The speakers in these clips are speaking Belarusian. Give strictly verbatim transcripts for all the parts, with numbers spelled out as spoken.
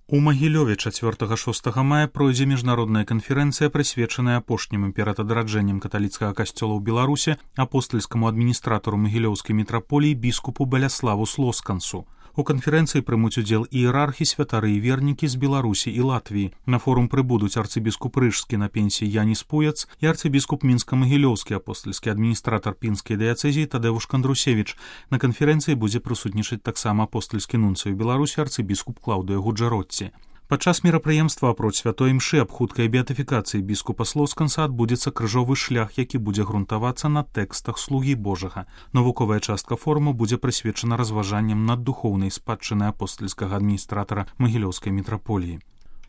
У Магілёве чацвёртага-шостага мая пройдзе міжнародная канферэнцыя, прысвечаная апошнім імператадраджэннем каталіцкага касцёла ў Беларусі апостальскаму адміністратару магілёўскай мітраполіі біскупу Баляславу Слоскансу. У канферэнцыі прымуць удзел іерархі, святары і вернікі з Беларусі і Латвіі. На форум прыбудуць арцыбіскуп Рыжскі на пенсіі Яніс Пуяц і арцыбіскуп Мінска-Магілёўскі, апостальскі адміністратар пінскай дыяцэзіі Тадеуш Кандрусевіч. На канферэнцыі будзе прысутнічаць таксама апостальскі нунцый у Беларусі арцыбіскуп Клаўдыя Гуджаротці. Падчас мерапрыемства апроч святой імшы аб хуткай беатыфікацыі біскупа Слосканса адбудзецца крыжовы шлях, які будзе грунтавацца на тэкстах слугі Божага. Навуковая частка форуму будзе прысвечана разважанням над духоўнай спадчынай апостальскага адміністратара Магілёўскай мітраполіі.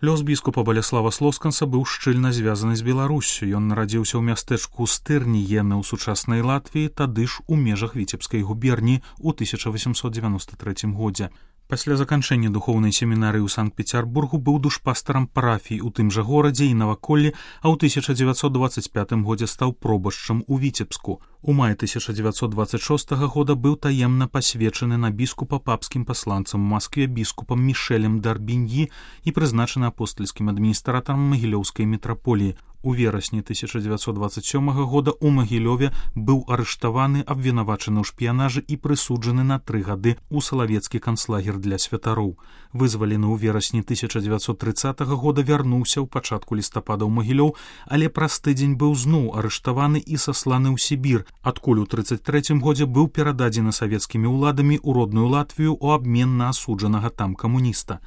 Лёс біскупа Баляслава Слосканса быў шчыльна звязаны з Беларуссю. Ён нарадзіўся ў мястэчку Стырніены ў сучаснай Латвіі, тады ж у межах Віцебскай губерніі ў тысяча васямсот дзевяноста трэцім годзе. Пасля заканчэння духоўнай семінарыі ў Санкт-Пецярбургу быў душпастарам парафій у тым жа горадзе і наваколлі, а ў тысяча дзевяцьсот дваццаць пятым годзе стаў пробашчам у Віцебску. У маі тысяча дзевяцьсот дваццаць шостага года быў таемна пасвечаны на біскупа папскім пасланцам у Маскве біскупам Мішэлем Дарбіньі і прызначаны апостальскім адміністратарам Магілёўскай мітраполіі. У верасні тысяча дзевяцьсот дваццаць сёмага года ў Магілёве быў арыштаваны, абвінавачаны ў шпіянажы і прысуджаны на тры гады ў салавецкі канцлагер для святароў. Вызвалены ў верасні тысяча дзевяцьсот трыццатага года вярнуўся ў пачатку лістапада ў Магілёў, але праз тыдзень быў зноў арыштаваны і сасланы ў Сібір, адкуль у трыццаць трэцім годзе быў перададзены савецкімі ўладамі ў родную Латвію ў абмен на асуджанага там камуніста.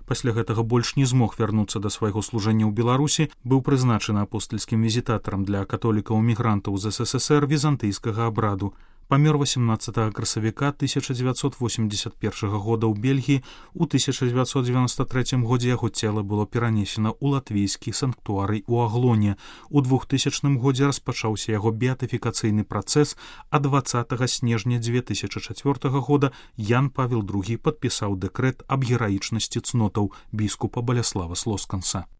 Пасля гэтага больш не змог вярнуцца да свайго служэння ў Беларусі, быў прызначаны апостальскім візітатарам для католікаў-мігрантаў з СССР візантыйскага абраду. Памёр васемнаццатага красавіка тысяча дзевяцьсот восемьдесят першага года ў Бельгіі. У тысяча дзевяцьсот дзевяноста трэцім годзе яго цела было перанесена ў латвійскі санктуарый у Аглоне. У двухтысячным годзе распачаўся яго беатыфікацыйны працэс, а дваццатага снежня дзве тысячы чацвёртага года Ян Павел другі падпісаў дэкрэт аб гераічнасці цнотаў біскупа Баляслава Слосканса.